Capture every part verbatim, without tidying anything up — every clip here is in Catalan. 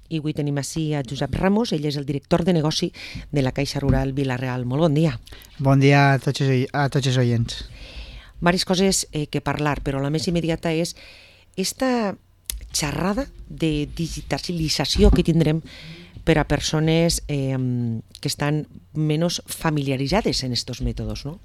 i avui tenim així a Josep Ramos, ell és el director de negoci de la Caixa Rural Vila-real. Molt bon dia. Bon dia a tots, a tots els oients. Varis coses eh, que parlar, però la més immediata és esta xerrada de digitalització que tindrem per a persones eh, que estan menys familiaritzades en estos mètodes, no?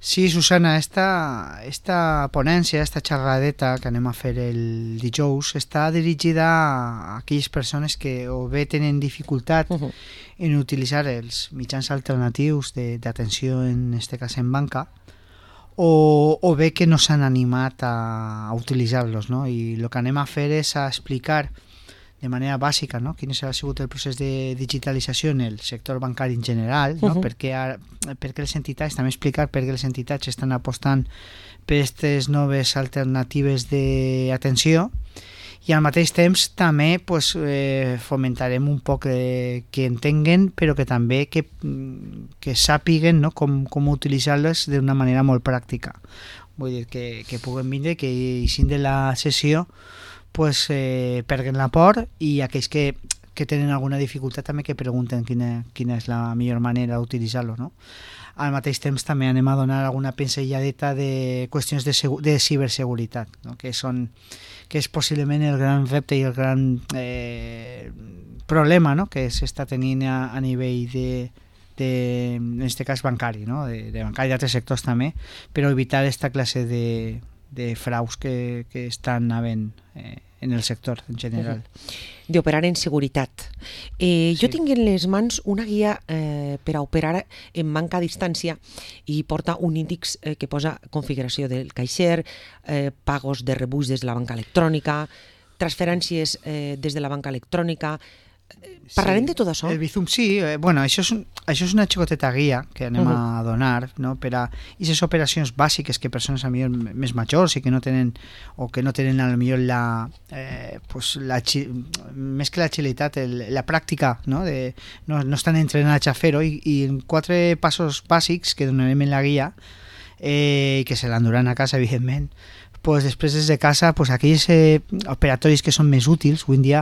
Sí, Susana, esta, esta ponència, esta xerradeta que anem a fer el dijous, està dirigida a aquelles persones que o bé tenen dificultat uh-huh. en utilitzar els mitjans alternatius d'atenció, en este cas en banca, o, o bé que no s'han animat a, a utilitzar-los, no? I el que anem a fer és a explicar de manera bàsica, no? Quin ha sigut el procés de digitalització en el sector bancari en general, no? Uh-huh. perquè, perquè les entitats, també explicar per què les entitats estan apostant per aquestes noves alternatives d'atenció, i al mateix temps també pues, eh, fomentarem un poc eh, que entenguen, però que també que, que sàpiguen, no? com, com utilitzar-les d'una manera molt pràctica. Vull dir, que, que puguen vindre, que eixin de la sessió pues, eh, perguen la por, i aquells que, que tenen alguna dificultat també que pregunten quina, quina és la millor manera d'utilitzar-lo, no? Al mateix temps també anem a donar alguna pinzelladeta de qüestions de, de ciberseguretat, no? que, són, que és possiblement el gran repte i el gran eh, problema, no? que s'està tenint a, a nivell de, de, en aquest cas bancari, no? de, de bancari i d'altres sectors també, però evitar aquesta classe de de fraus que, que estan havent eh, en el sector en general. Uh-huh. D'operar en seguretat. Eh, sí. Jo tinc en les mans una guia eh, per a operar en banca a distància i porta un índex eh, que posa configuració del caixer, eh, pagos de rebuig des de la banca electrònica, transferències eh, des de la banca electrònica. Parlarem sí, de tot això? El Bizum, sí. Eh, bueno, això és, un, això és una xicoteta guia que anem uh-huh. a donar, no? Per a aquestes operacions bàsiques que persones a millor més majors i que no tenen, o que no tenen a lo millor la, eh, pues la més que l'agilitat, la pràctica, no? De, no, no estan entrenats a fer-ho, i, i en quatre passos bàsics que donarem en la guia, eh, que se l'enduran a casa, evidentment, pues després des de casa, pues aquells eh, operatoris que són més útils. Avui en dia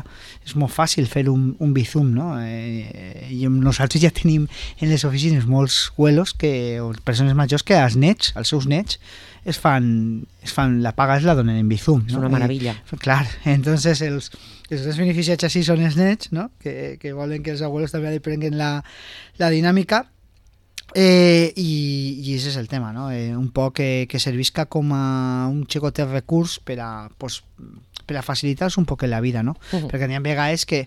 és molt fàcil fer un, un Bizum, no? Eh, i nosaltres ja tenim en les oficines molts abuelos, que, o persones majors, que als nets, als seus nets, es fan, es fan la paga es la donen en Bizum, no? És una meravella. I, clar, entonces els, els més beneficiats així són els nets, no? que, que volen que els abuelos també aprenguen la, la dinàmica. Eh, i, i ese és el tema, no? Eh, un poc que, que servisca com a un xicotet recurs per a, pues, per a facilitar-nos un poc la vida, no? Uh-huh. Perquè n'hi ha vegades que,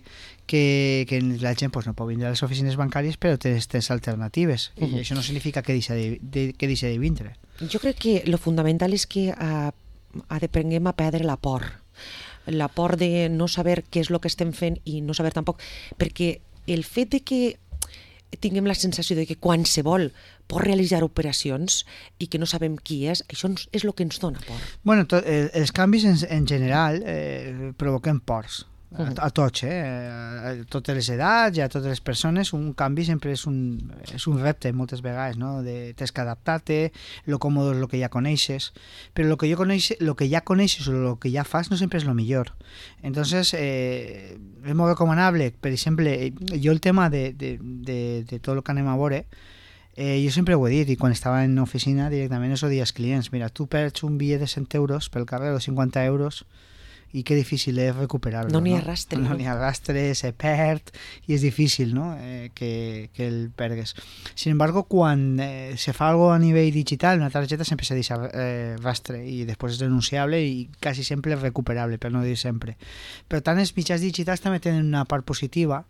que, que la gent pues, no pot vindre a les oficines bancàries, però té aquestes alternatives, uh-huh. i això no significa que deixa de, de, que deixa de vindre. Jo crec que lo fundamental és que uh, aprenguem a perdre la por, la por de no saber què és el que estem fent i no saber tampoc, perquè el fet de que tinguem la sensació de que qualsevol pot realitzar operacions i que no sabem qui és, això és el que ens dona por. Bueno, to, eh, els canvis en, en general eh, provoquen pors. A, a tots, eh? a totes les edats i a totes les persones. Un canvi sempre és un, és un repte moltes vegades, no? De, tens que adaptar-te, lo còmode és el que ja coneixes, però el que, jo coneix, lo que ja coneixes o el que ja fas no sempre és el millor. Entonces, eh, és molt recomanable, per exemple, jo el tema de, de, de, de tot el que anem a veure, eh, jo sempre ho he dit, i quan estava en oficina directament us ho dic als clients: mira, tu perds un bitllet de cent euros pel carrer o cinquanta euros, i que difícil és recuperar-lo. No n'hi ha rastre. No n'hi ha rastre, se perd, i és difícil, no? eh, que, que el pergues. Sin embargo, quan eh, se fa algo a nivell digital, una targeta sempre se deixa eh, rastre, i després és denunciable i quasi sempre és recuperable, per no dir sempre. Per tant, els mitjans digitals també tenen una part positiva.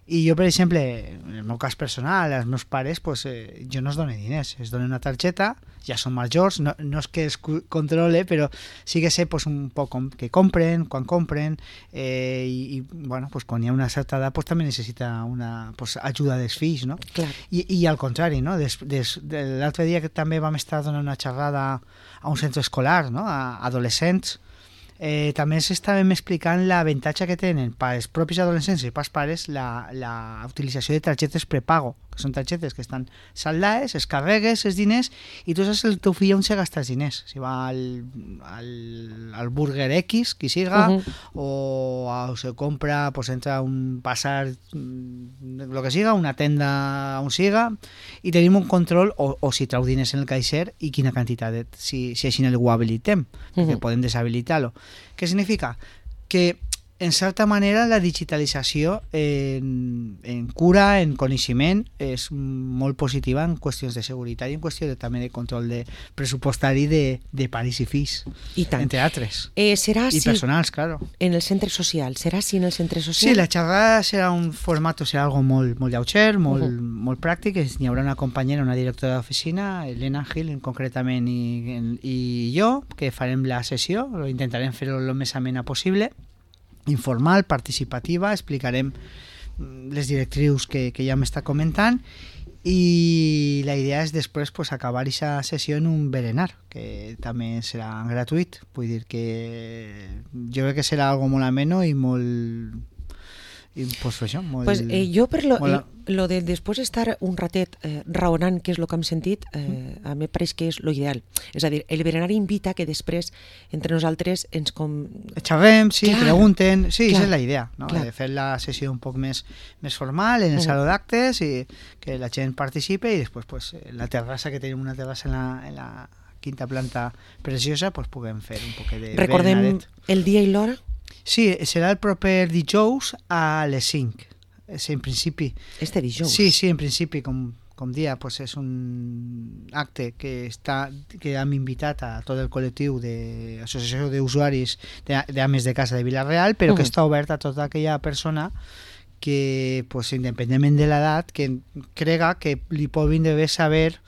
I jo, per exemple, en el meu cas personal, als meus pares, pues, eh, jo no els dono diners, els dono una targeta, ja són majors, no, no és que els controle, però sí que sé pues, un poc com, que compren, quan compren, eh, i, i bueno, pues, quan hi ha una certa edat pues, també necessita una pues, ajuda dels fills, no? Clar. I, i al contrari, no? Des, des, de l'altre dia que també vam estar donant una xerrada a un centre escolar, no? A adolescents, Eh, també s'estàvem explicant l'avantatge que tenen pels propis adolescents i pels pares la, la utilització de targetes prepago, que són targetes que estan saldades, es carregues els diners i tu saps el teu fill on se gasta els diners, si va al, al, al Burger X, qui siga, uh -huh. o, o se compra, pues entra a un pasar, lo que siga, una tenda on siga, i tenim un control, o, o si trau diners en el caixer i quina quantitat, de, si, si així ho habilitem, uh -huh. perquè podem deshabilitar-lo. Què significa? Que en certa manera la digitalització en, en cura, en coneixement, és molt positiva en qüestions de seguretat i en qüestió de, també de control de pressupostari de, de pares i fills, I tant. entre altres. Eh, serà I així personals, claro. En el centre social? Serà així en el centre social? Sí, la xerrada serà un format, serà algo molt, molt lleuger, molt, uh -huh. molt pràctic. Hi haurà una companyera, una directora d'oficina, Elena Gil, concretament, i, i jo, que farem la sessió, intentarem fer-ho el més amena possible, informal, participativa, explicarem les directrius que, que ja m'està comentant, i la idea és després pues, acabar aquesta sessió en un berenar, que també serà gratuït. Vull dir que jo crec que serà algo molt ameno i molt... I, pues, això, molt, pues, eh, jo per lo, molt... lo de després estar un ratet eh, raonant què és el que hem sentit, eh, a mi pareix que és lo ideal. És a dir, el berenar invita que després entre nosaltres ens com... xerrem, sí, clar, pregunten, sí, clar, és la idea, no? De fer la sessió un poc més, més formal en el uh -huh. saló d'actes i que la gent participe, i després pues, la terrassa, que tenim una terrassa en la, en la quinta planta preciosa, pues, puguem fer un poc de Recordem berenaret. El dia i l'hora? Sí, serà el proper dijous a les cinc. Sí, en principi. Este dijous? Sí, sí, en principi, com, com dia, pues és un acte que, està, que hem invitat a tot el col·lectiu d'associació d'usuaris d'ames de casa de Vila-real, però uh -huh. que està obert a tota aquella persona que, pues, independentment de l'edat, que crega que li pot vindre bé saber,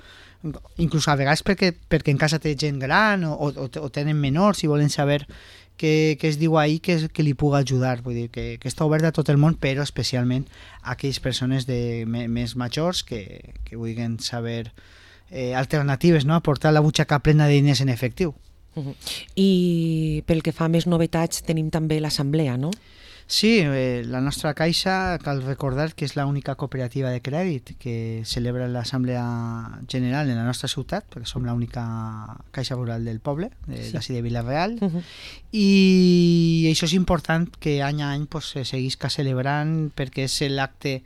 inclús a vegades perquè, perquè en casa té gent gran o, o, o tenen menors i volen saber que, que es diu ahir que, que li pugui ajudar. Vull dir que, que està obert a tot el món, però especialment a aquelles persones de, més majors que, que vulguin saber eh, alternatives, no? Aportar la butxaca plena de diners en efectiu. Uh-huh. I pel que fa a més novetats tenim també l'assemblea, no? Sí, eh, la nostra caixa, cal recordar que és l'única cooperativa de crèdit que celebra l'assemblea general en la nostra ciutat, perquè som l'única caixa rural del poble, de, sí. d'ací de Vila-real, uh-huh. i això és important que any a any pues, se seguisca celebrant, perquè és l'acte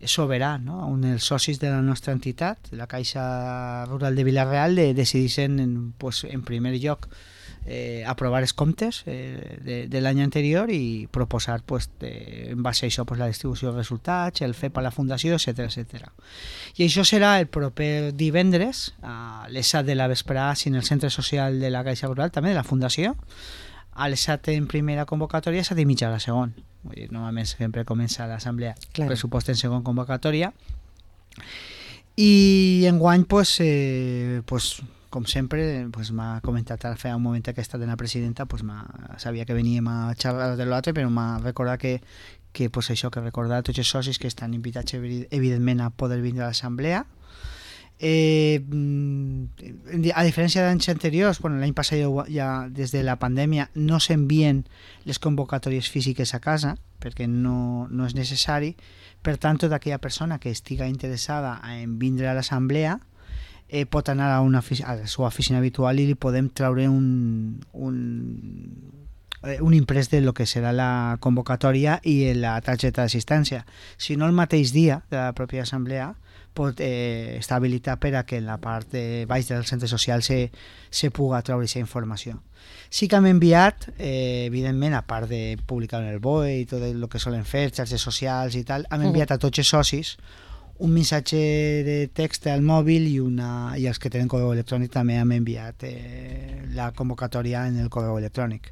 soberà, no? On els socis de la nostra entitat, la Caixa Rural de Vila-real, de, decidissin en, pues, en primer lloc Eh, aprovar els comptes eh, de, de l'any anterior i proposar pues, de, en base a això pues, la distribució de resultats, el F E P a la Fundació, etcètera etcètera. I això serà el proper divendres a les set de la vesprada en el centre social de la Caixa Rural, també de la Fundació, a les set en primera convocatòria, set i mitja a la segon. Vull dir, normalment sempre comença l'assemblea claro. Pressupost en segon convocatòria, i enguany pues, eh, pues, com sempre, pues, m'ha comentat ara fa un moment que ha estat en la presidenta, pues, sabia que veníem a xerrar de l'altre, però m'ha recordat que, que pues, això, que recordar a tots els socis que estan invitats evidentment a poder vindre a l'assemblea. Eh, a diferència d'anys anteriors, bueno, l'any passat ja, ja des de la pandèmia no s'envien les convocatòries físiques a casa perquè no, no és necessari. Per tant, tota aquella persona que estiga interessada en vindre a l'assemblea Eh, pot anar a, una, a la seva oficina habitual i li podem treure un, un, eh, un imprès de lo que serà la convocatòria i la targeta d'assistència. Si no, el mateix dia de la pròpia assemblea pot eh, estar habilitat per a que en la part de baix del centre social se, se puga treure aquesta informació. Sí que hem enviat, eh, evidentment, a part de publicar en el B O E i tot el que solen fer, xarxes socials i tal, hem enviat a tots els socis un missatge de text al mòbil i, una, i els que tenen correu electrònic també hem enviat eh, la convocatòria en el correu electrònic,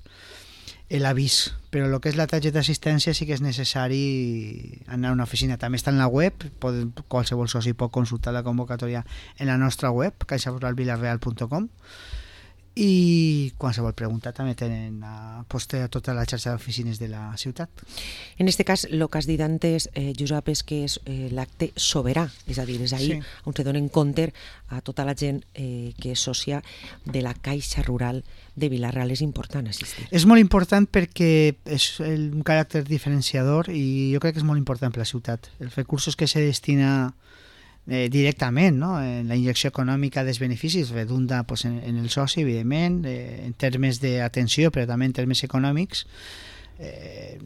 l'avís. Però el que és la targeta d'assistència sí que és necessari anar a una oficina. També està en la web, pot, qualsevol soci pot consultar la convocatòria en la nostra web, caixa rural vilareal punt com, i qualsevol pregunta també tenen a poster a tota la xarxa d'oficines de la ciutat. En aquest cas, el que has dit antes, eh, Josep, és que és eh, l'acte soberà, és a dir, és ahir sí. on se donen compte a tota la gent eh, que és sòcia de la Caixa Rural de Vila-real. És important assistir. És molt important perquè és el, un caràcter diferenciador i jo crec que és molt important per la ciutat. Els recursos que se destina eh, directament, no? En la injecció econòmica dels beneficis redunda pues, en, en el soci, evidentment, eh, en termes d'atenció, però també en termes econòmics. Eh,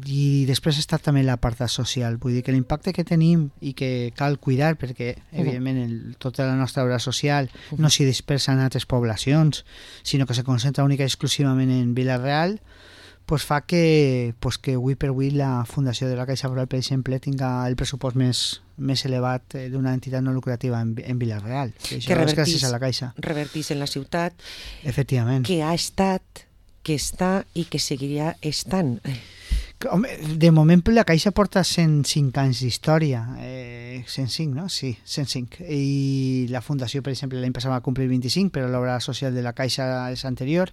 i després està també l'apartat social, vull dir que l'impacte que tenim i que cal cuidar perquè evidentment el, tota la nostra obra social no s'hi dispersa en altres poblacions sinó que se concentra única i exclusivament en Vila-real, pues fa que, pues que avui per avui la Fundació de la Caixa Rural, per exemple, tinga el pressupost més, més elevat d'una entitat no lucrativa en, en Vila-real, que això és gràcies a la Caixa. Revertís en la ciutat, efectivament, que ha estat, que està i que seguirà estant. Home, de moment la Caixa porta cent cinc anys d'història, eh, cent cinc, no? Sí, cent cinc. I la Fundació, per exemple, l'any passat va complir vint-i-cinc, però l'obra social de la Caixa és anterior,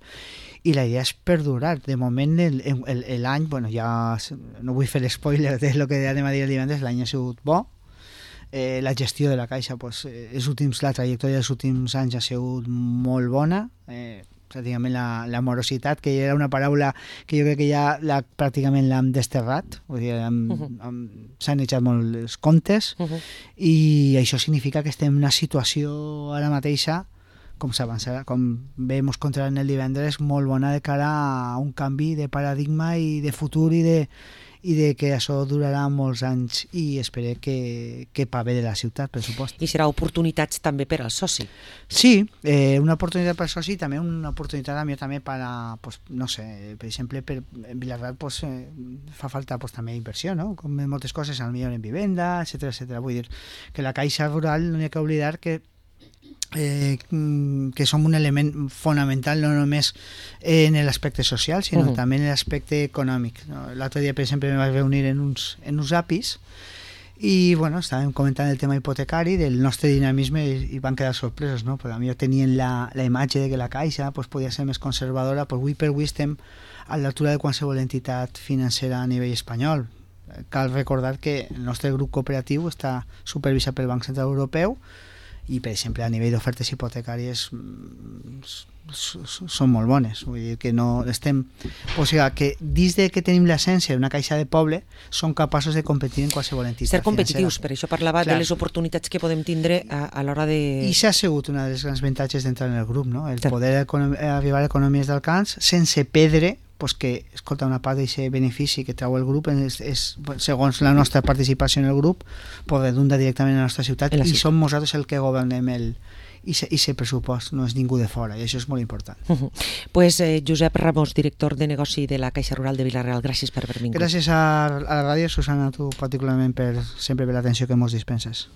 i la idea és perdurar. De moment, l'any, bueno, ja no vull fer l'espoiler de lo que anem a dir el divendres, l'any ha sigut bo. Eh, la gestió de la Caixa, pues, els últims, la trajectòria dels últims anys ha sigut molt bona, eh, pràcticament la, la morositat, que era una paraula que jo crec que ja la, pràcticament l'hem desterrat, vull dir, hem, uh -huh. hem sanejat molt els comptes, uh -huh. i això significa que estem en una situació ara mateixa, com s'avançarà, com bé mos contaran el divendres, molt bona de cara a un canvi de paradigma i de futur i de i de que això durarà molts anys i espero que, que pa bé de la ciutat, per supost. I serà oportunitats també per al soci. Sí, eh, una oportunitat per al soci i també una oportunitat a mi també per a, pues, no sé, per exemple, per, en Vila-real pues, eh, fa falta pues, també inversió, no? Com en moltes coses, al millor en vivenda, etcètera, etcètera. Vull dir que la Caixa Rural no hi ha que oblidar que Eh, que som un element fonamental no només en l'aspecte social sinó uh-huh. també en l'aspecte econòmic, no? L'altre dia per exemple me vaig reunir en uns, en uns apis i bueno, estàvem comentant el tema hipotecari del nostre dinamisme i, i van quedar sorpresos, no? Perquè a mi tenien la, la imatge de que la Caixa pues, podia ser més conservadora, però avui per avui estem a l'altura de qualsevol entitat financera a nivell espanyol. Cal recordar que el nostre grup cooperatiu està supervisat pel Banc Central Europeu i, per exemple, a nivell d'ofertes hipotecàries són molt bones. Vull dir que no estem... O sigui, que dins de que tenim l'essència d'una caixa de poble, són capaços de competir en qualsevol entitat Ser competitius, financera. Per això parlava Clar. de les oportunitats que podem tindre a, a l'hora de... I s'ha sigut una de les grans avantatges d'entrar en el grup, no? El poder econom- arribar a economies d'alcance sense perdre pues que, escolta, una part d'aquest benefici que treu el grup és, és, segons la nostra participació en el grup, pues redunda directament a la nostra ciutat, la ciutat. I som nosaltres el que governem el i aquest pressupost, no és ningú de fora, i això és molt important. Uh-huh. Pues eh, Josep Ramos, director de negoci de la Caixa Rural de Vila-real, gràcies per haver vingut. Gràcies a, a la ràdio, Susana, a tu particularment per sempre per l'atenció que ens dispenses.